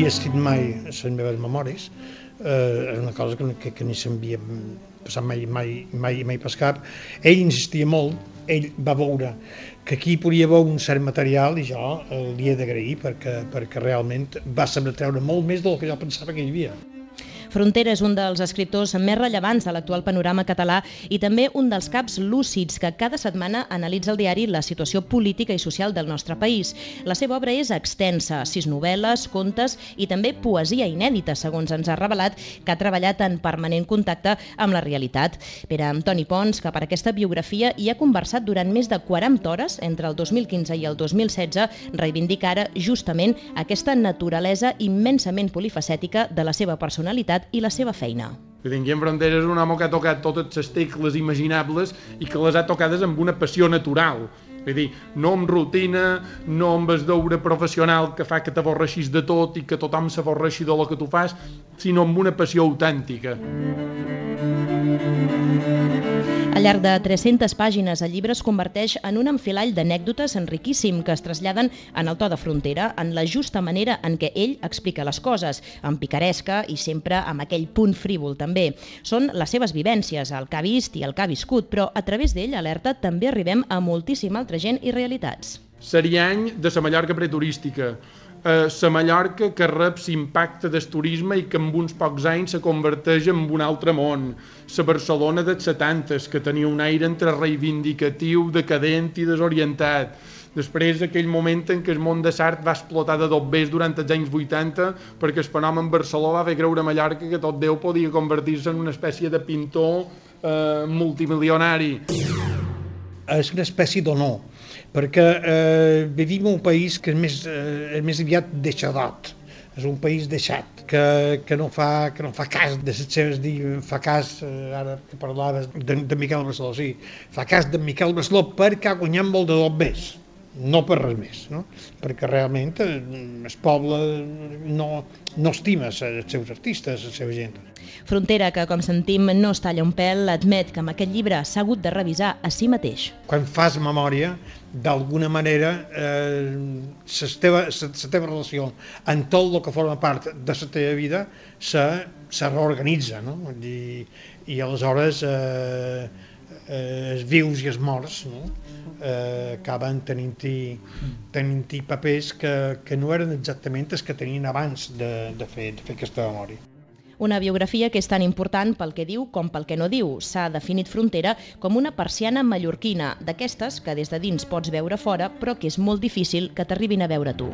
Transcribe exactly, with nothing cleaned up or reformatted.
havia escrit mai les meves memòries, eh, era una cosa que, que, que ni s'havia passat mai, mai, mai, mai per cap. Ell insistia molt, ell va veure que aquí podia haver un cert material i jo eh, li he d'agrair perquè, perquè realment va saber treure molt més del que jo pensava que hi havia. Frontera és un dels escriptors més rellevants de l'actual panorama català i també un dels caps lúcids que cada setmana analitza el diari la situació política i social del nostre país. La seva obra és extensa, sis novel·les, contes i també poesia inèdita, segons ens ha revelat, que ha treballat en permanent contacte amb la realitat. Pere Antoni Pons, que per aquesta biografia hi ha conversat durant més de quaranta hores entre el dos mil quinze i el dos mil setze, reivindica ara justament aquesta naturalesa immensament polifacètica de la seva personalitat i la seva feina. Guillem Frontera és un home que ha tocat totes les tecles imaginables i que les ha tocades amb una passió natural. Vull dir, no amb rutina, no amb el deure professional que fa que t'avorreixis de tot i que tothom s'avorreixi de lo que tu fas, sinó amb una passió autèntica. Al llarg de tres-centes pàgines, el llibre es converteix en un enfilall d'anècdotes enriquíssim que es traslladen en el to de Frontera, en la justa manera en què ell explica les coses, amb picaresca i sempre amb aquell punt frívol també. Són les seves vivències, el que ha vist i el que ha viscut, però a través d'ell, alerta, també arribem a moltíssima altra gent i realitats. Seria any de la Mallorca preturística, la Mallorca que rep l'impacte del turisme i que en uns pocs anys se converteix en un altre món, la Barcelona dels setantes, que tenia un aire entre reivindicatiu, decadent i desorientat. Després, aquell moment en què el món de l'art va explotar de dobbers durant els anys vuitanta perquè el fenomen Barceló va fer creure a Mallorca que tot Déu podia convertir-se en una espècie de pintor eh, multimilionari. És una espècie d'honor, perquè eh, vivim en un país que és més, eh, és més aviat deixadot, és un país deixat, que, que, no, fa, que no fa cas de les seves, fa cas, eh, ara que parlaves de, de Miquel Barceló, sí, fa cas de Miquel Barceló perquè ha guanyat molt de dobbers, no per res més, no? Perquè realment eh, el poble no, no estima els seus artistes, la seva gent. Frontera, que com sentim no es talla un pèl, admet que amb aquest llibre s'ha hagut de revisar a si mateix. Quan fas memòria, d'alguna manera, eh, la teva, la teva relació amb tot el que forma part de la teva vida se, se reorganitza, no? I, i aleshores eh, eh, els vius i els morts, no? eh, acaben tenint-hi tenint-hi papers que, que no eren exactament els que tenien abans de, de, fer, de fer aquesta memòria. Una biografia que és tan important pel que diu com pel que no diu. S'ha definit Frontera com una persiana mallorquina, d'aquestes que des de dins pots veure fora, però que és molt difícil que t'arribin a veure tu.